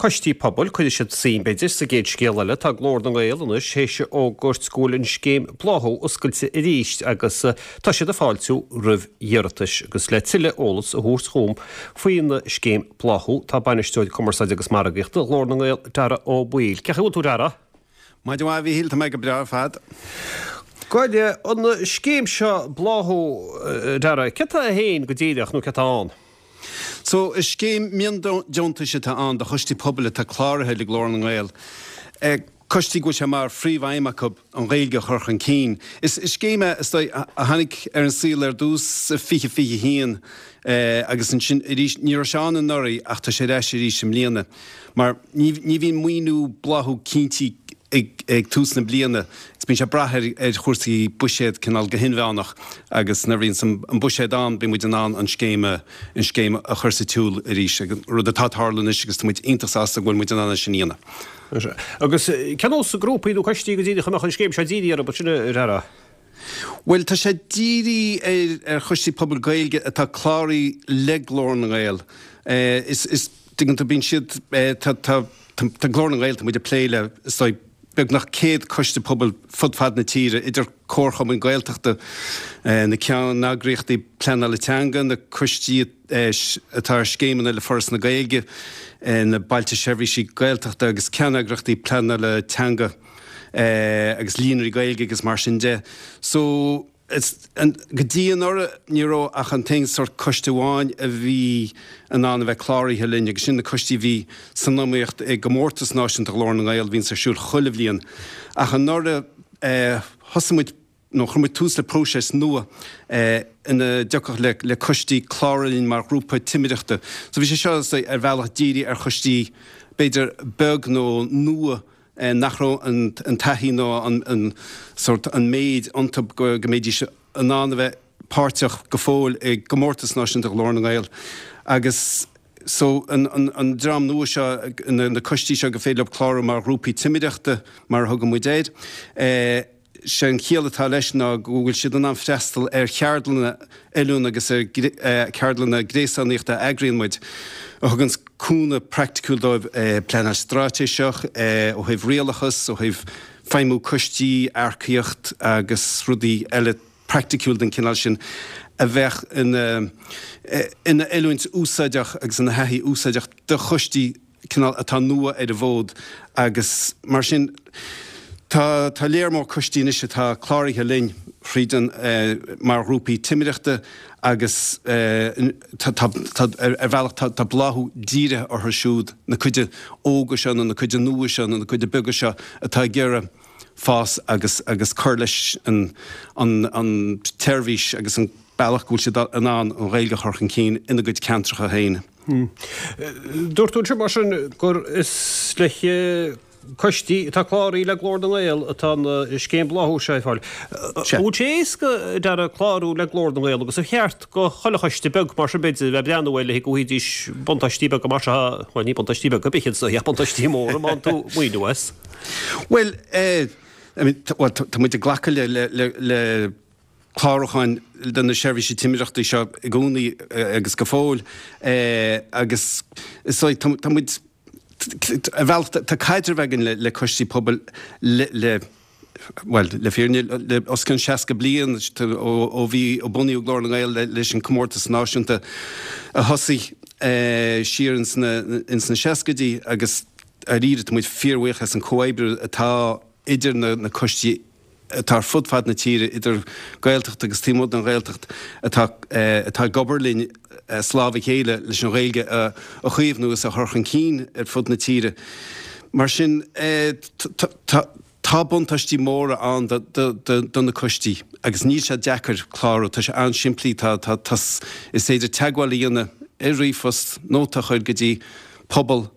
coistí pobail, cuirfidh siad suim, b'fhéidir, sa gcéad scéal eile. Tá Glór na nGael anois théis a fhógairt go bhfuil an scéim Bláthú oscailte arís agus tá siad ag fáiltiú roimh iarratais. Agus le tuilleadh eolas a thabhairt chugam faoin scéim Bláthú tá Bainisteoir Cumarsáide agus Margaíochta Ghlór na nGael, Darragh Ó Baoill. Cén chaoi a bhfuil tú, Darragh? Maidin mhaith, a Mhíchíl, tá mé go breá ar fad. Gabh i leith, an scéim seo Bláthú, Darragh, céard tá féin go díreach nó céard atá ann? So, is scéim miondeontais atá ann do choistí pobail atá cláraithe le Glór na nGael. Coistí go bhfuil sé mar phríomhaidhm acu an Ghaeilge a chur chun cinn. Is scéim é, is dóigh, a tháinig ar an saol ar dtús i 2021 agus ansin arís, ní raibh sé ann anuraidh ach tá sé ar ais arís i mbliana. Mar ní bhíonn maoiniú Bláthú cinntí ag tús na bliana agus bíonn sé ag brath ar chúrsaí buiséad cineál go hinmheánach agus nuair a bhíonns an buiséad ann bíonn muid in ann an scéim a an scéim a chur sa tsiúl arís, rud atá ag tarlú anois agus tá muid iontach sásta go bhfuil muid in ann é sin a dhéanamh. Agus cén nós grúpaí nó coistí go díreach a mbeadh an scéim seo dírithe orthu sin, a Dhara? Bhuel, tá sé dírithe ar choistí pobail Gaeilge atá cláraithe le Glór na nGael. Is, is, tuigeann tú, bíonn siad, tá, tá, tá Glór na nGael, tá muid ag plé le, is dóigh, beagnach 100 coiste pobail fud fad na tíre, idir comharchumainn Gaeltachta, na ceanneagraíochtaí pleanála teanga, na coistí atá ar scéimeanna le Foras na Gaeilge, na Bailte Seirbhísí Gaeltachta agus ceanneagraíochtaí pleanála teanga agus líonraí Gaeilge agus mar sin de. So, Go dtí anuraidh ní raibh ach an t-aon sórt coiste amháin a bhí in ann a bheith cláraithe linn agus sin na coistí a bhí san iomaíocht i gcomórtas náisiúnta Ghlór na nGael a bhíonns ar siúl chuile bhliain. Ach anuraidh thosaigh muid nó chuir muid tús le próiseas nua ina dtiocfadh le le coistí clárú linn mar ghrúpa timireachta. So bhí sé seo ar bhealach dírithe ar choistí b'fhéidir beag nó nua nach raibh an taithí nó an sórt, an méid iontu go mbeidís in ann a bheith páirteach go fóill i gcomórtas náisiúnta Ghlór na nGael. Agus so an dream nua seo, na coistí seo gur féidir leo clárú mar ghrúpaí timireachta mar a thugann muid air, Sé an chiall atá leis ná go bhfuil siad in ann freastal ar cheardlanna oiliúna agus ar cheardlanna gréasánaíochta a eagraíonn muid, a thugann cúnamh praiticiúil dóibh pleanáil straitéiseach, ó thaobh rialachas, ó thaobh feidhmiú coistí, earcaíocht agus rudaí eile praiticiúil den chineál sin a bheadh ina ina oiliúint úsáideach agus ina thaithí úsáideach do choistí cineál atá nua ar an bhfód agus mar sin tá tá léar mór coistí anois atá cláraithe linn thríd an mar ghrúpaí timireachta agus tá tá tá ar bhealach tá tá Bláthú dírithe orthu siúd, na cuide óga seo nó na cuide nua seo nó na cuide beaga seo atá ag iarraidh fás agus agus cur leis an an an tseirbhís agus an bealach go bhfuil siad in ann an Ghaeilge a chur chun cinn ina gcuid ceantracha féin. Dúirt tú ansin mar sin gur is le coistí atá cláraithe le Glór na nGael atá an scéim Bláthú seo ar fáil. An bhfuil sé éasca, a Dhara, clárú le Glór na nGael agus ar cheart do chuile choiste beag mar sin b'fhéidir a bheith ag breathnú air le go bhfaighidís buntáistí beaga mar seo, bhuel ní buntáistí beaga ar bith iad ach buntáistí móra má fhaigheann tú maoiniú as? Bhuel, I mean, tá muid ag glacadh le le le clárúcháin do na seirbhísí timireachta seo i gcónaí agus go fóill agus is dóigh tá muid ar bhealach tá caidreamh againn le coistí pobail le le bhuel le fírinne le os cionn 60 bliain ó bhí ó bunaíodh Glór na nGael leis an comórtas náisiúnta a thosaigh siar ins na ins na seascaidí agus dáiríre tá muid fíorbhuíoch as an comhoibriú atá idir na na coistí atá ar fud fad na tíre, idir Gaeltacht agus taobh amuigh den Ghaeltacht, atá atá ag obair linn as lámh a chéile leis an Ghaeilge a chaomhnú agus a chur chun cinn ar fud na tíre. Mar sin, tá tá buntáistí móra ann do do do na coistí agus níl sé deacair clárú, tá sé an-simplí, tá tá tá is féidir teagmháil a dhéanamh ar ríomhphost, nóta a chur go dtí pobal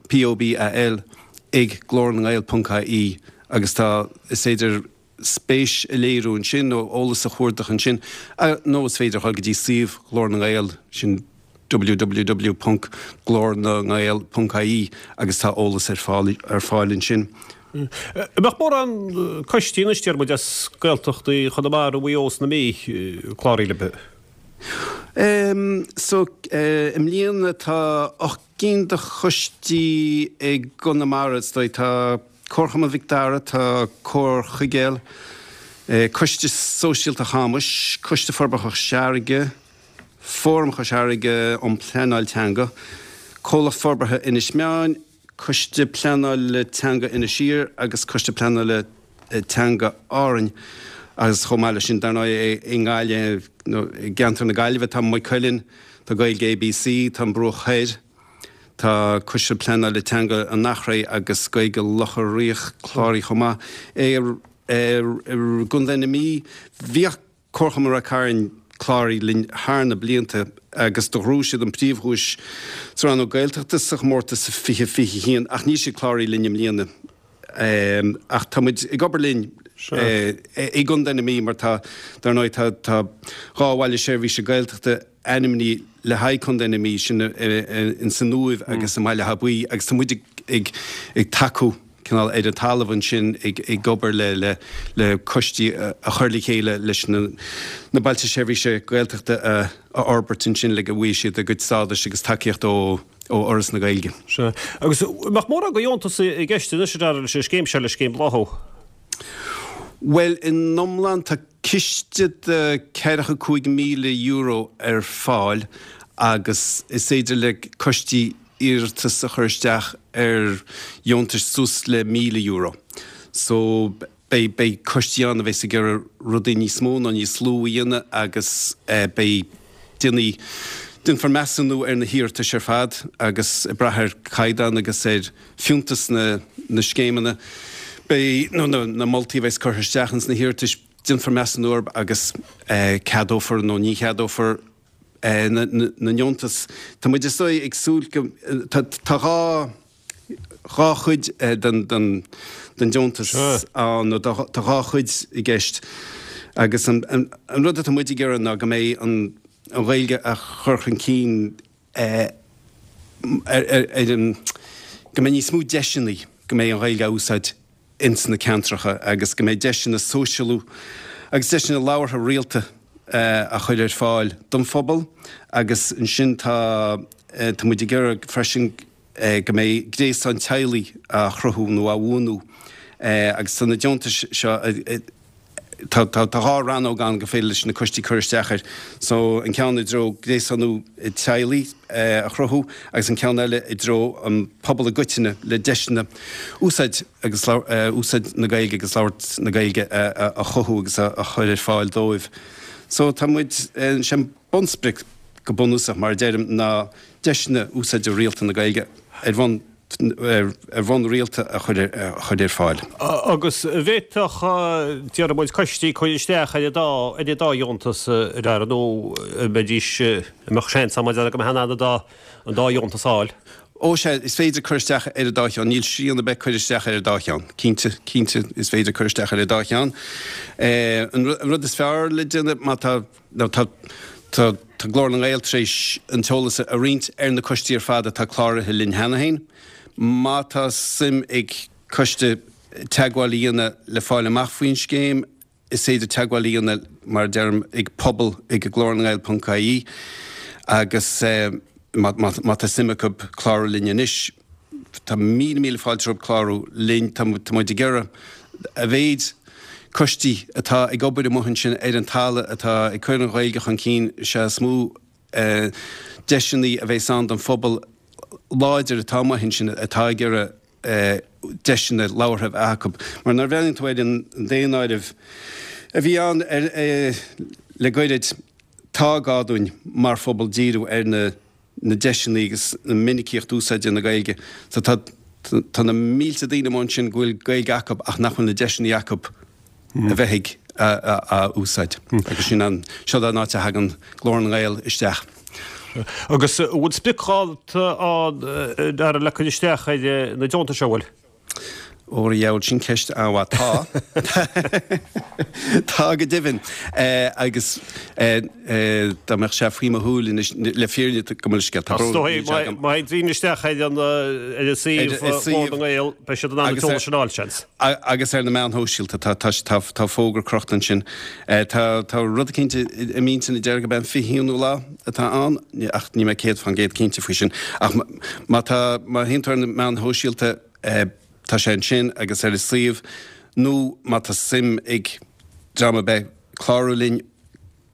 POBAL, ag glórnangael ponc ie agus tá, is féidir spéis a léiriú ansin nó eolas a chuardach ansin nó is féidir a dhul go dtí suíomh Ghlór na nGael, sin www ponc glórnangael ponc ie agus tá eolas ar fáil ar fáil ansin. An mbeadh mórán coistí anois, deir muid, as Gaeltachtaí Chonamara, Mhaigh Eo is na Mí cláraithe libh? So, i mbliana tá 8 gcinn de choistí i gConamara, is dóigh. Tá Comharchumann Mhic Dara, tá Comhar Chuigéil, Coiste Sóisialta Chamais, Coiste Forbartha Chois Fharraige, Fóram Chois Fharraige um Pleanáil Teanga, Comhlacht Forbartha Inis Meáin, Coiste Pleanála Teanga Inis Oírr agus Coiste Pleanála Teanga Árainn agus chomh maith leis sin, dar ndóigh, i nGaillimh, nó i gceantar na Gaillimhe, tá Maigh Cuilinn, tá Gaeilge ABC, tá an Bruach Thoir, tá Coiste Pleanála Teanga an Eachréidh agus Gaeilge Locha Riach cláraithe chomh maith. I gContae na Mí, bhíodh Comharchumann Ráth Cairn cláraithe linn thar na blianta agus do ghnóthaigh siad an príomhdhuais sa rannóg Gaeltachta sa chomórtas 2021 ach níl siad cláraithe linn i mbliana. Ach tá muid ag obair linn i gContae na Mí mar tá, dar ndóigh, tá tá 2 bhaile seirbhíse Gaeltachta ainmnithe le haghaidh Contae na Mí, sin in san Uaimh agus i mBaile Átha Buí agus tá muid ag ag tacú cineál ar an talamh ansin ag ag obair le le le coistí a chur le chéile leis na na bailte seirbhíse Gaeltachta a a fhorbairt ansin le go bhfaighidh siad a gcuid stádais agus tacaíocht ó ó Fhoras na Gaeilge. Sea. Agus an mbeadh mórán de dheontas i gceist anois a Dhara leis an scéim seo, le Scéim Bláthú? Bhuel, in iomlán tá ciste de €45,000 ar fáil agus is féidir le coistí iarratas a chur isteach ar dheontais suas le €1,000. So beidh, beidh coistí ann a bheas ag iarraidh rudaí níos mó nó níos lú a dhéanamh agus beidh, déanfaidh, déanfar measúnú ar na hiarratais ar fad agus ag brath ar chaighdeán agus ar fiúntas na, na scéimeanna, beidh, nó na, na moltaí a bheas curtha isteach ins na hiarratais, déanfar measúnú orthu agus ceadófar nó ní cheadófar na ndeontas. Tá muid is dóigh ag súil go, tá 2 dhá chuid den deontas ann, nó tá dhá chuid i gceist agus an rud atá muid ag iarraidh ná go mbeidh an Ghaeilge á chur chun cinn ar an, go mbeidh níos mó deiseanna go mbeidh an Ghaeilge á úsáid ins na ceantracha agus go mbeidh deiseanna sóisialú agus deiseanna labhartha rialta á chur ar fáil don phobal agus ansin tá tá muid ag iarraidh freisin go mbeidh gréasán teaghlaigh á chruthú nó á bhuanú agus tá na deontais seo Tá 2 rannóg ann gur féidir leis na coistí cur isteach air. So, an ceann i dtreo gréasánú teaghlaigh a chruthú agus an ceann eile i dtreo an pobal i gcoitinne le deiseanna úsáid agus úsáid na Gaeilge agus labhairt na Gaeilge a chothú agus a chur ar fáil dóibh. So, tá muid, sé an bunsprioc go bunúsach mar a deirim ná deiseanna úsáide rialta na Gaeilge ar bhonn ar bhonn rialta a chur ar fáil. Agus an bhféadfadh, déarfaidh muid, coistí cur isteach ar an dá, ar an dá dheontas, a Dhara, nó an mbeidís, an mbeadh seans ann mar a déarfá go mbeadh in ann an dá, an dá dheontas a fháil? Ó sea, is féidir cur isteach ar an dá cheann. Níl srian ar bith cur isteach ar an dá cheann. Cinnte, cinnte, is féidir cur isteach ar an dá cheann. An rud is fearr le déanamh má tá, Nó tá tá Glór na nGael tar éis an t-eolas a roinnt ar na coistí ar fad atá cláraithe linn cheana féin. Má tá suim ag coiste teagmháil a dhéanamh le fáil amach faoin scéim, is féidir teagmháil a dhéanamh, mar a deirim, ag pobal ag glornangael.ie agus má má tá suim acu clárú linn anois, Tá míle míle fáilte rompu clárú linn. Tá muid ag iarraidh a mhéid coistí atá ag obair amuigh ansin ar an talamh atá ag cur an Ghaeilge chun cinn, is ea is mó deiseanna a bheas ann don phobal láidir atá amuigh ansin atá ag iarraidh deiseanna labhartha a bheith acu. Mar nuair a bhreathnaíonn tú ar an daonáireamh a bhí ann le goirid, tá gá dúinn mar phobal díriú ar na na deiseanna agus na minicíocht úsáide na Gaeilge. So tá tá na mílte daoine amuigh ansin go bhfuil Gaeilge acu ach nach bhfuil na deiseanna acu a bheith ag á úsáid. Agus sin an seo an áit a thagann Glór na nGael isteach. Agus an bhfuil spriocdháta ann, a Dhara, le cur isteach ar na deontais, an bhfuil? Óra dheabhail, sin ceist an-mhaith. Tá. Tá go deimhin. Agus dá mbeadh sé faoi mo shúil anois, le fírinne, gabh mo leithscéal, tá brón agam. Má théann daoine isteach ar an suíomh Ghlór na nGael, beidh siad in ann an t-eolas sin a fháil, seans. Agus ar na meáin shóisialta, tá fógra crochta ansin. Tá rud eicínt i m'intinn a deir gurb é an 21ú lá atá ann, ach níl mé 100% cinnte faoi sin. Ach má tá, má théann tú ar na meáin shóisialta, Tá sé ansin agus ar an suíomh nó má tá suim ag dream ar bith clárú linn,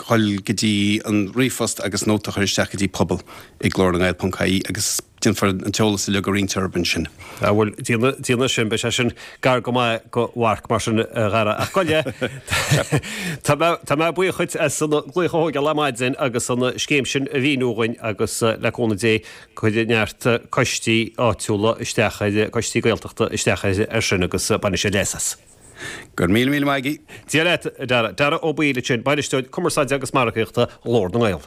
dhul go dtí an ríomhphost agus nóta a chur isteach go dtí pobal ag glornangael.ie agus déanfar an t-eolas uilig a roinnt orthu ansin. Á bhuel, déanfaidh sin, beidh sé sin gar go maith do Mharc mar sin, a Dhara. Ach gabh i leith, tá mé, tá mé buíoch dhuit as an glaoch a thógáil ar maidin agus an scéim sin a mhíniú dhuinn agus le cúnamh Dé Cuirfidh neart coistí áitiúla isteach ar, coistí Gaeltachta isteach air sin agus bainfidh siad leas as. Go raibh míle míle maith agat. Dia leat, a Dhara. Dara Ó Baoill ansin, Bainisteoir Cumarsáide agus Margaíochta Ghlór na nGael.